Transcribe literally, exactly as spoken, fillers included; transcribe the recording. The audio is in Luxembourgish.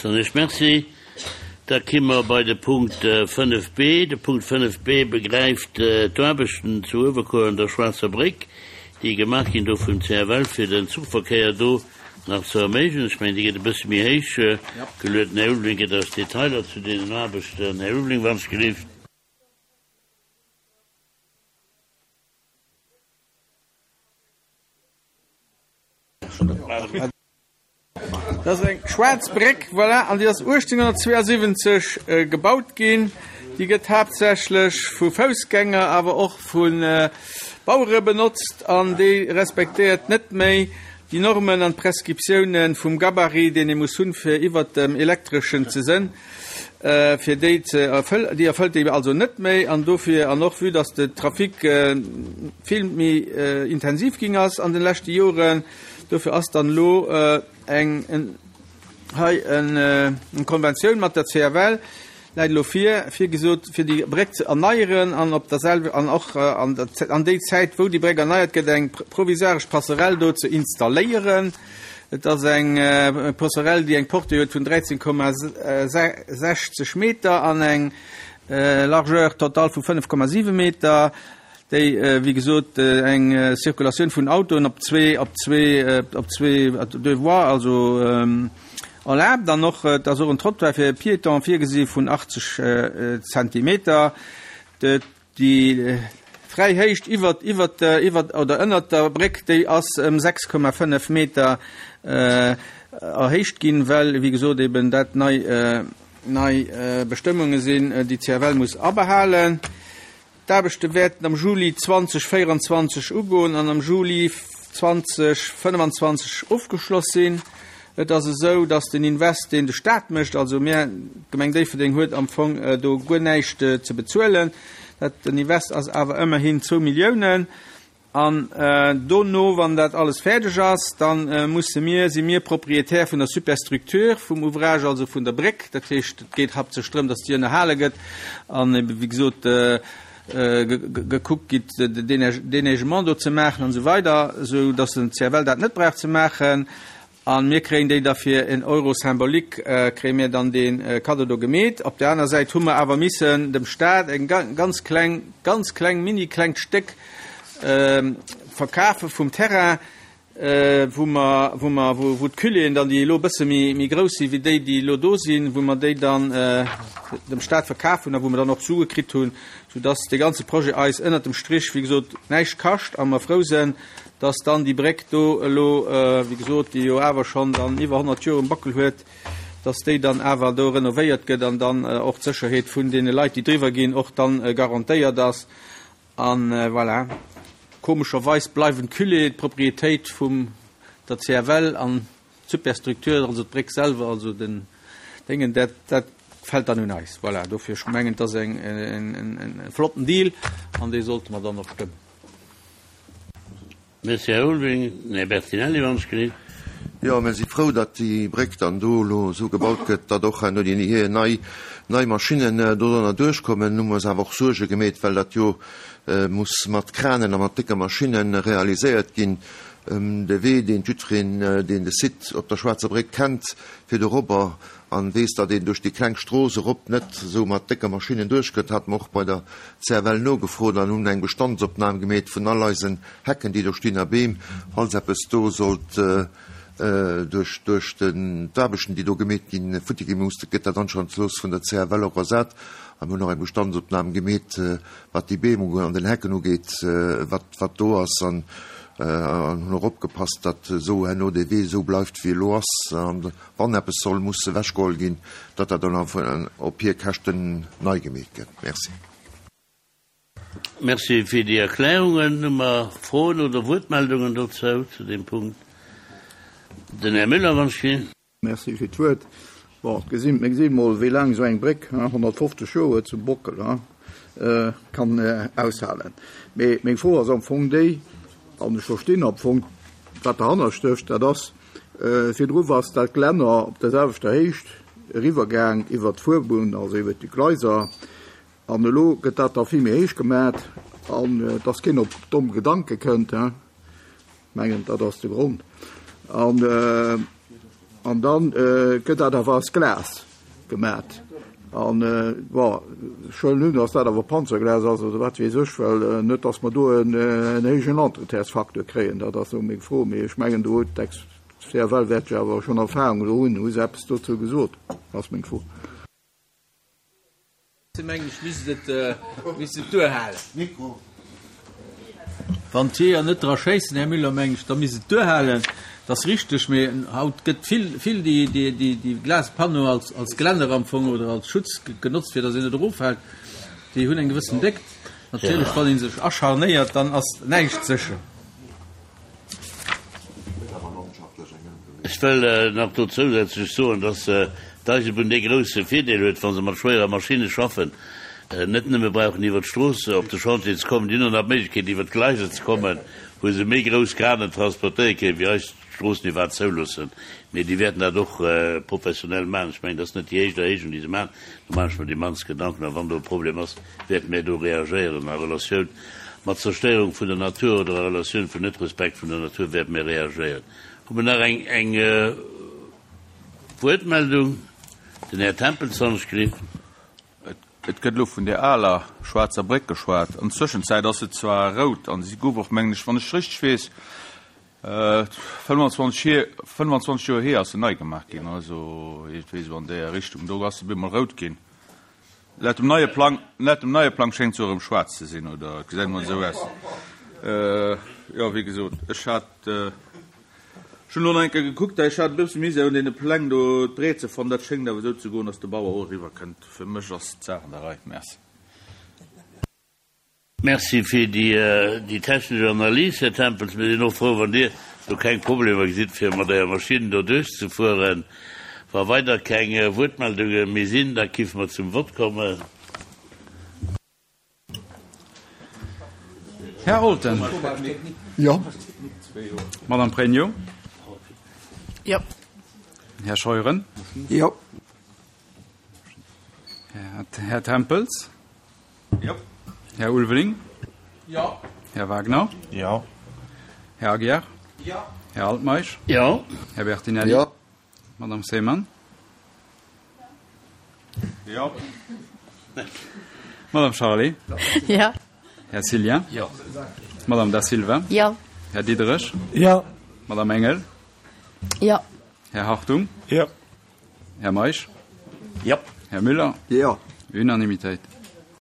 Soen ech Merci. Da ki mer bei de Punkt fënnef b. De Punkt fënnef b begräift d'Aarbechten zu Uewerkuer an der Schwaarzer Bréck, déi gemaach ginn do vum C F L, fir den Zuchverkéier do nach ze erméiglechen. Ech mengen, déi gëtt e bësse méi héich geluet. Den Här Ulveling gëtt eis Detailer zu deenen Aarbechten. Här Ulveling, wann s gelift. Dat ass eng schwaarz Bréck, voilà, an déi ass uechtzénghonnertzweeasiwwenzeg gebaut ginn. Déi gëtt haaptsächlech vu Foussgänger, awer och vu Bauere benotzt an déi respektéiert net méi déi Normen an d'Prescriptioune vum Gabarit, deen ee muss hunn, fir iwwert dem Elektreschen ze sënn, fir déi ze erfëll, déi erfëllt déi also net méi. An dofir, an och vue dass de Trafic vill méi intensiv ginn ass an de leschte Joren, dofir ass dann elo eng hei eng Konventioun mat der C F L läit elo vir, virgesot, fir déi Bréck ze erneieren an op der selwe an och an der an déi Zäit, wou déi Bréck erneiert gëtt, eng provisoiresch Passerelle do ze installéieren. Et ass eng Passerelle, déi eng Portée huet vun dräizéng Komma sechzeg Meter an eng Largeur totale vu fënnef Komma siwe Meter, déi, wéi gesot, eng Circulatioun vun Autoen op zwee op zwee op zwee deux voies also erlaabt. Dann och, et ass och en Trottoir fir Piéton virgesi vun achtzeg Zentimeter. Déi fräi Héicht iwwer iwwer iwwer oder ënnert der Bréck, déi ass ëm sechs Komma fënnef Meter erhéicht ginn, well, wéi gesot, eben dat nei nei Bestëmmunge sinn, déi C F L muss abehalen. D'Aarbechte wäerten am Juli zweedausendvéierenzwanzeg ugoen an am Juli zweedausendfënnefenzwanzeg ofgeschloss sinn. Et ass esou, datt den Invest, deen de Staat mécht, also mir, d'Gemeng Déifferdeng huet am Fong do guer näischt ze bezuelen. Dat den Invest ass awer ëmmerhin zwou Milliounen. An dono, wann dat alles fäerdeg ass, dann musse mir, si mir Propriétaire vun der Superstructure vum Ouvrage, also vun der Bréck. Dat heescht, et geet haaptsächlech drëm, datt déi ënnerhale gëtt an ebe, wéi gesot, gekuckt gitt, Déneigement do ze maachen an esou weider, esou datt den C F L dat net brauch ze maachen. A mir kréien déi da fir en Euro symbolique, kréie mir dann dee Cadeau do gemeet. Op der aner Säit hu mer awer missen dem Staat eng ganz kleng, ganz kleng, mini klengt Stéck verkafe vum Terrain, wou mer, wou mer, wou, wou d'Culéeën dann, déi elo e bësse méi, méi grouss si wéi déi, déi elo do sinn, wou mer déi dann dem Staat verkaf hunn a wou mer dann och Sue kritt hunn, soudass dee ganze Projet eis ënnert dem Strich, wéi gesot, näischt kascht a mer frou sinn, dass dann déi Bréck do elo, wéi gesot, déi jo awer schonn dann iwwer honnert Joer um Backel huet, dass déi dann awer do renovéiert gëtt an dann och d'Sécherheet vun deene Leit, déi driwwer ginn, och dann garantéiert ass. An voilà, komescherweis bleiwen d'Culéeën d'Proprietéit vum der C F L an d'Superstructure, also d'Bréck selwer, also den Déngen, dat, dat fält dann un eis. Voilà, dofir, ech mengen, et ass eng, en, en, en flotten Deal an dee sollte mer dann och stëmmen. Merci, Här Ulveling. Här Bertinelli, wann ech gelift. Jo, mir si frou, datt déi Bréck dann do elo esou gebaut gëtt, datt och herno déi hir nei, nei Maschinnen dodrënner duerchkommen. Nu hu mer eis awer och Suerge gemeet, well dat jo muss mat Kranen a mat décke Maschinne realiséiert ginn. De Wee, deen jiddwereen, deen de Site op der Schwaarzer Bréck kennt, fir dorobber an weess, datt een duerch déi kleng Strooss erop net esou mat décke Maschinnen duerchkënnt, hate mer och bei der C F L nogefrot an hunn eng Bestandsopnam gemeet vun all eisen Hecken, déi do stinn, a Beem, falls eppes do sollt duerch duerch d'Aarbechten, déi do gemeet ginn, futti gi muss, gëtt dat anscheinend vun der C F L och ersat. A mir hunn och eng Bestandsopnam gemeet, wat déi Beem an den Hecken ugeet, wat wat do ass, an an hunn och opgepasst, datt esou herno dee Wee esou bleift, wéi elo ass, an wann eppes soll muss ewechgeholl ginn, datt dat dann op hir Käschten nei gemeet gëtt. Merci. Merci fir déi Erklärungen. Hu mer Froen oder Wuertmeldungen dozou, zu deem Punkt? Den Här Müller, wann ech gelift. Merci fir d'Wuert. Bon, gesinn, mir gesinn mol, wéi laang esou eng Bréck, honnertfofzeg Joer huet zum Bockel, kann aushalen. Mee meng Fro ass am Fong déi, an ech verstinn am Fong, wat derhanner stécht, dat ass, virdru ass dat Gelänner op der selwechter Héicht eriwwergaang iwwer d'Fuerbunn, also iwwer déi Gleiser, an elo gëtt dat da vill méi héich gemat, an dass keen op domm Gedanke kënnt, mengen, dat ass de Grond. An An da gëtt dat awer aus Glas gemat. An, bon, ech huelen un, dass dat awer Panzerglas ass oder wat weess ech, well net, dass mer do en héijen Entretiensfacteur kréien, dat ass esou meng Fro. Mee ech mengen, do huet d'Ex-CFL wäert jo awer schonn Erfahrung do hunn. Hu se eppes dozou gesot, ass meng Fro. Mengen ech, misst et, misst et duerhalen. Mikro. Wann d'Jeeër net dra schéissen, Här Müller, mengen ech, da misst et duerhalen. Dat ass richteg, mee haut gëtt vill, vill déi, déi, déi, déi Glaspanneau als, als Gelänner am Fong oder als Schutz genotzt, fir datt een net eroffält. Déi hunn eng gewëssen Déckt. Natierlech, wann ee sech acharnéiert, dann ass näischt sécher. Ech wëll nach do zousätzlech soen, dass d'Eisebunn dee grouse Virdeel huet, wa se mat schwéierer Maschinne schaffen, net nëmme brauchen iwwert d'Strooss op de Chantier ze kommen, déi hunn och nach d'Méiglechkeet iwwert d'Gleiser ze kommen, wou se méi grouss Kranen transportéiere kënnen, wéi eis d'Stroossen iwwerhaapt zouloossen. Mee déi wäerten dat och professionell maachen. Ech mengen, dat ass net déi éischt Erhéijung, déi se maachen. Do maachen ech mer déi mannst Gedanken. A wann do e Problem ass, wäerte mir do reagéieren a Relatioun mat Zerstéierung vun der Natur oder a Relatioun vun Netrespekt vun der Natur wäerte mir reagéieren. Hu mer nach eng eng Wuertmeldung? Den Här Tempels han ech gelift. Et gëtt elo vun där aler schwaarzer Bréck geschwat. An Zwëschenzäit ass se zwar rout an si gouf och, mengen ech, wann ech richteg weess, fënnwanzwanzeg Joer hier ass se nei gemaach ginn, also iergendwéi esou an där Richtung. Do ass se bemol rout ginn. Laut dem neie Plang, laut dem neie Plang schéngt se och erëm schwaarz ze sinn, oder et gesäit emol esou aus. Jo, wéi gesot, ech hat, ech hunn elo nach eng Kéier gekuckt, ech hat e bësse Misär un deene Pläng do d'Breet ze fannen. Dat schéngt awer esou ze goen, datt de Bauer och eriwwer kënnt. Fir mech ass d'Saach an der Rei. Merci. Merci fir déi technesch Analys, Här Tempels. Mir sinn och frou, wann Dir do keng Problemer gesitt, fir mat Ärer Maschinn do duerchzefueren. Wa weider keng Wuertmeldunge méi sinn, da kiffe mer zum Vott kommen. Här Olten. Jo. Madame Pregno. Jo. Här Scheuren. Jo. Här Tempels. Jo. Här Ulveling. Jo. Här Wagner. Jo. Här Aguiar. Jo. Här Altmeisch. Jo. Här Bertinelli. Jo. Madame Seemann. Jo. Madame Charlé. Jo. Här Cillien. Jo. Madame Da Silva. Jo. Här Diderich. Jo. Madame Engel. Jo. Här Hartung. Jo. Här Meisch. Jo. Här Müller. Jo. Unanimitéit.